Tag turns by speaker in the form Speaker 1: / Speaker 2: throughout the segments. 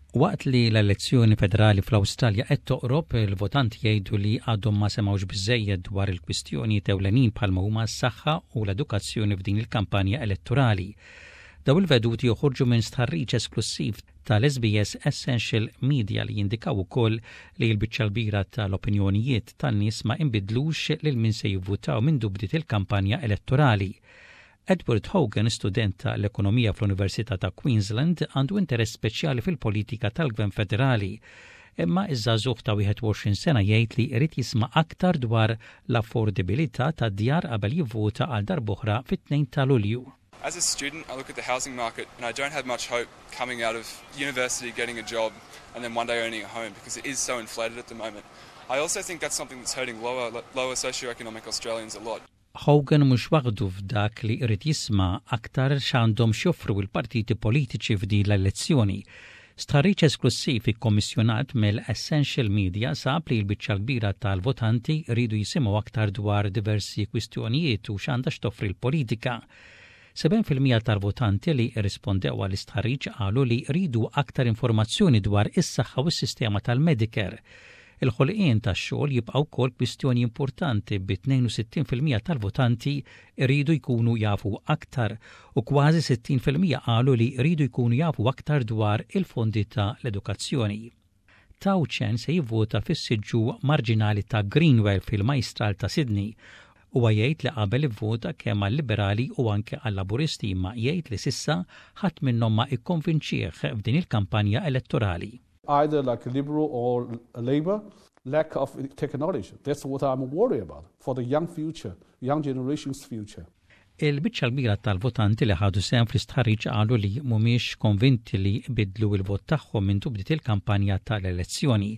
Speaker 1: Waqt li l-elezzjoni federali fl-Awstralja qed toqrob, il-votanti jgħidu li għadhom ma semgħux biżejjed dwar il-kwistjonijiet ewlenin bħalma huma s-saħħa u l-edukazzjoni f'din il-kampanja elettorali. Daw il-veduti joħorġu minn stħarriġ esklussiv tal-SBS Essential Media li jindikaw ukoll li l-biċċa l-kbira tal-opinjonijiet tan-nies ma inbidlux lil min se jivvutaw minn bdiet il-kampanja elettorali. Edward Hogan, student tal-ekonomija fl-Università ta' Queensland, għandu interess speċjali fil-politika tal-Gvern Federali. Imma iż-żagħżugħ ta' 21 sena jgħid li jrid jisma' aktar dwar l-affordibilità tad-djar qabel jivvota għal darb'oħra fit-2 ta' Lulju.
Speaker 2: As a student, I look at the housing market and I don't have much hope coming out of university, getting a job, and then one day owning a home because it is so inflated at the moment. I also think that's something that's hurting lower socioeconomic Australians a lot.
Speaker 1: Hogan mhux waħdu f'dak li jrid jisma' aktar x'għandhom x'joffru l-partiti politiċi f'din l-elezzjoni. Stħarriġ esklussiv ikkommissjonat mill-Essential Media sab li l-biċċa kbira tal-votanti rridu jisimgħu aktar dwar diversi kwistjonijiet u x'għandha x'toffri l-politika. 7% tal-votanti li rrispondew għall-istħarriġ qalu li jridu aktar informazzjoni dwar is-saħħa u s-sistema tal-Medicare. Il-ħolqien tax-xogħol jibqa' wkoll kwistjoni importanti, bi 62% tal-votanti jridu jkunu jafu aktar u kważi 60% qalu li jridu jkunu jafu aktar dwar il-fondi ta' l-edukazzjoni. Tao Chen se jivvota fis-siġġu marġinali ta' Greenwell fil-Majstral ta' Sydney. Huwa jgħid li qabel ivvota kemm għal-Liberali u anke għal-Laburisti, imma jgħid li s'issa ħadd minnhom ma ikkonvinċih f'din il-kampanja elettorali.
Speaker 3: Either like Liberal or Labor, lack of technology. That's what I'm worried about for the young future, young generation's future.
Speaker 1: Il-biċċa l-kbira tal-votanti li ħadu sehem fl-istħarriġ qalu li mhumiex konvinti li bidlu il-vot tagħhom minn bdiet il-kampanja tal-elezzjoni.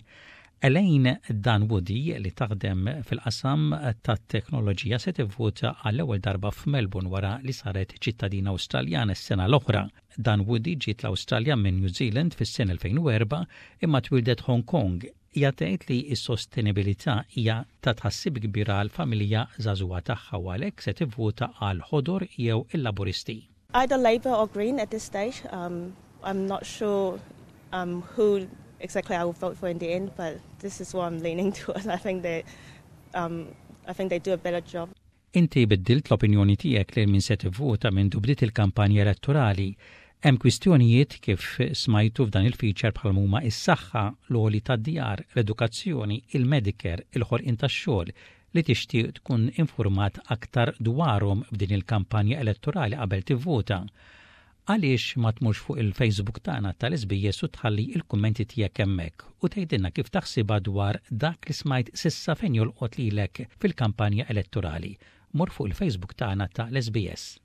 Speaker 1: Elaine Dunwoody, li taħdem fil-qasam tat-teknoloġija, se tivvota għall-ewwel darba f'Melbourne wara li saret ċittadina Awstraljana s-sena l-oħra. Dunwoody ġiet l-Awstralja minn New Zealand fis-sena 2004 imma twildet Hong Kong. Hija tgħid li s-sostenibilità hija ta' tħassib kbir għall-familja żagħżugħa tagħha u għalhekk se tivvota għall-Ħodor jew il-Laburisti.
Speaker 4: Either Labor or Green at this stage. I'm not sure who exactly I will vote for in the end, but this is what I'm leaning towards. I think they do a better job.
Speaker 1: Inti biddilt l-opinjoni tiegħek lil min se tivvota minn bdiet il-kampanja elettorali? Hemm kwistjonijiet, kif smajtu f'dan il-feature, bħal huma is-saħħa, l-għoli tad-djar, l-edukazzjoni, il-Medicare, il-ħolqien tax-xogħol, li tixtieq tkun informat aktar dwarhom f'din il-kampanja elettorali qabel tivvota. Għaliex ma tmurx fuq il-Facebook tagħna tal-SBS u tħalli il-kummenti tiegħek hemmhekk u tgħidilna kif taħsibha dwar dak li smajt s'issa fejn jolqot lilek fil-kampanja elettorali? Mur fuq il-Facebook tagħna tal-SBS.